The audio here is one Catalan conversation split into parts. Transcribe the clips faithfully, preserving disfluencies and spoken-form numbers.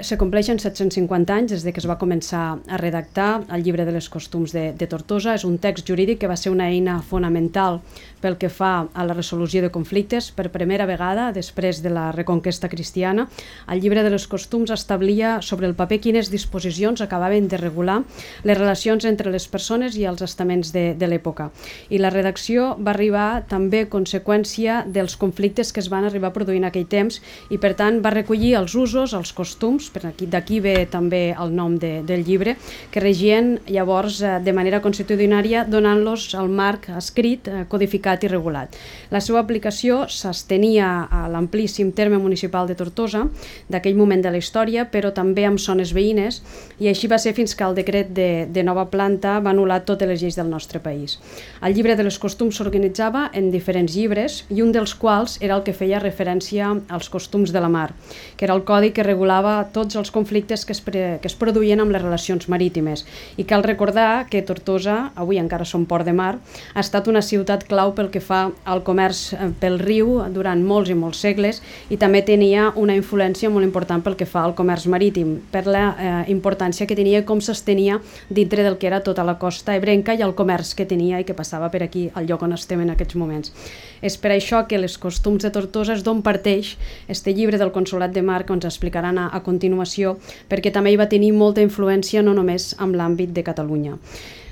Se compleixen set-cents cinquanta anys des de que es va començar a redactar el Llibre de les Costums de, de Tortosa. És un text jurídic que va ser una eina fonamental pel que fa a la resolució de conflictes. Per primera vegada, després de la reconquesta cristiana, el Llibre de les Costums establia sobre el paper quines disposicions acabaven de regular les relacions entre les persones i els estaments de, de l'època. I la redacció va arribar també a conseqüència dels conflictes que es van arribar a produir en aquell temps i, per tant, va recollir els usos, els costums, d'aquí ve també el nom de, del llibre, que regien llavors eh, de manera constitucionària, donant-los el marc escrit, eh, codificat i regulat. La seva aplicació s'estenia a l'amplíssim terme municipal de Tortosa, d'aquell moment de la història, però també amb zones veïnes, i així va ser fins que el decret de, de nova planta va anul·lar totes les lleis del nostre país. El llibre de les costums s'organitzava en diferents llibres, i un dels quals era el que feia referència als costums de la mar, que era el codi que regulava tots els conflictes que es, pre, que es produïen amb les relacions marítimes. I cal recordar que Tortosa, avui encara som port de mar, ha estat una ciutat clau pel que fa al comerç pel riu durant molts i molts segles, i també tenia una influència molt important pel que fa al comerç marítim, per la eh, importància que tenia i com s'estenia dintre del que era tota la costa ebrenca i el comerç que tenia i que passava per aquí, al lloc on estem en aquests moments. És per això que les costums de Tortosa és d'on parteix este llibre del Consolat de Mar que ens explicaran a, a continuació, perquè també hi va tenir molta influència no només en l'àmbit de Catalunya.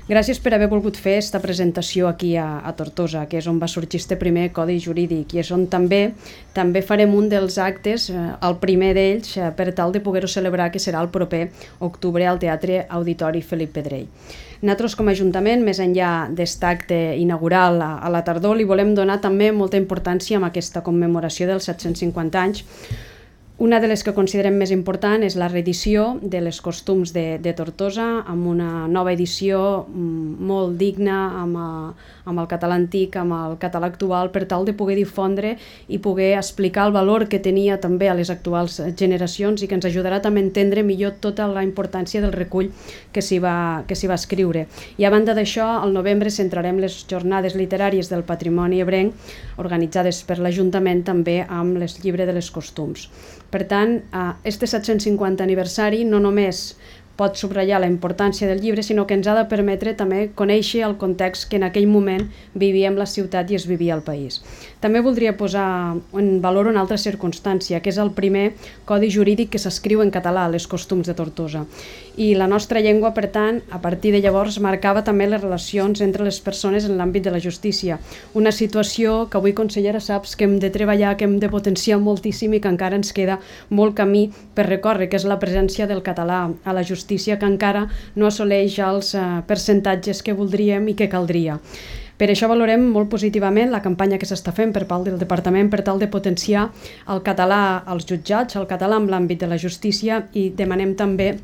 Gràcies per haver volgut fer aquesta presentació aquí a, a Tortosa, que és on va sorgir este primer codi jurídic i és on també també farem un dels actes, eh, el primer d'ells, eh, per tal de poder-ho celebrar, que serà el proper octubre al Teatre Auditori Felip Pedrell. Nosaltres, com a Ajuntament, més enllà d'aquest acte inaugural a, a la tardor, li volem donar també molta importància a aquesta commemoració dels set-cents cinquanta anys. Una de les que considerem més important és la reedició de les costums de, de Tortosa, amb una nova edició molt digna, amb, a, amb el català antic, amb el català actual, per tal de poder difondre i poder explicar el valor que tenia també a les actuals generacions i que ens ajudarà també a entendre millor tota la importància del recull que s'hi va, que s'hi va escriure. I a banda d'això, al novembre centrarem les jornades literàries del patrimoni ebrenc, organitzades per l'Ajuntament també amb el llibre de les costums. Per tant, este set-cents cinquanta aniversari no només pot subratllar la importància del llibre, sinó que ens ha de permetre també conèixer el context que en aquell moment vivíem la ciutat i es vivia el país. També voldria posar en valor una altra circumstància, que és el primer codi jurídic que s'escriu en català, les costums de Tortosa. I la nostra llengua, per tant, a partir de llavors, marcava també les relacions entre les persones en l'àmbit de la justícia. Una situació que avui, consellera, saps que hem de treballar, que hem de potenciar moltíssim i que encara ens queda molt camí per recórrer, que és la presència del català a la justícia, que encara no assoleix els eh, percentatges que voldríem i que caldria. Per això valorem molt positivament la campanya que s'està fent per part del Departament per tal de potenciar el català als jutjats, el català en l'àmbit de la justícia, i demanem també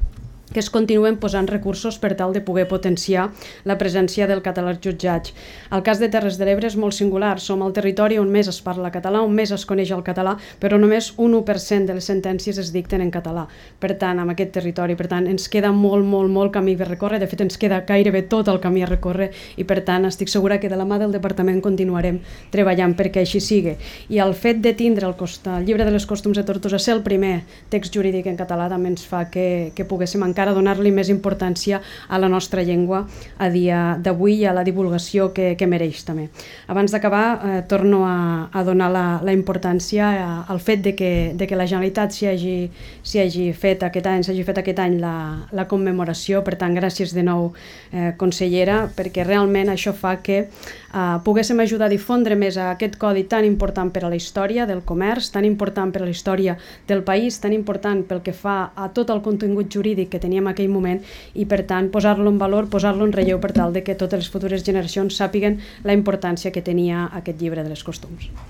que es continuen posant recursos per tal de poder potenciar la presència del català als jutjats. El cas de Terres de l'Ebre és molt singular. Som el territori on més es parla català, on més es coneix el català, però només un u per cent de les sentències es dicten en català. Per tant, en aquest territori, per tant, ens queda molt, molt, molt camí per recórrer. De fet, ens queda gairebé tot el camí a recórrer i, per tant, estic segura que de la mà del Departament continuarem treballant perquè així sigui. I el fet de tindre el, cost, el llibre de les costums de Tortosa ser el primer text jurídic en català també ens fa que, que poguéssim encara a donar-li més importància a la nostra llengua a dia d'avui i a la divulgació que, que mereix també. Abans d'acabar, eh, torno a, a donar la, la importància a, al fet de que, de que la Generalitat s'hi hagi, s'hi hagi fet aquest any, s'hagi fet aquest any la, la commemoració. Per tant, gràcies de nou, eh, consellera, perquè realment això fa que eh, poguéssim ajudar a difondre més aquest codi tan important per a la història del comerç, tan important per a la història del país, tan important pel que fa a tot el contingut jurídic que tenim en aquell moment, i per tant posar-lo en valor, posar-lo en relleu per tal de que totes les futures generacions sàpiguen la importància que tenia aquest llibre de les costums.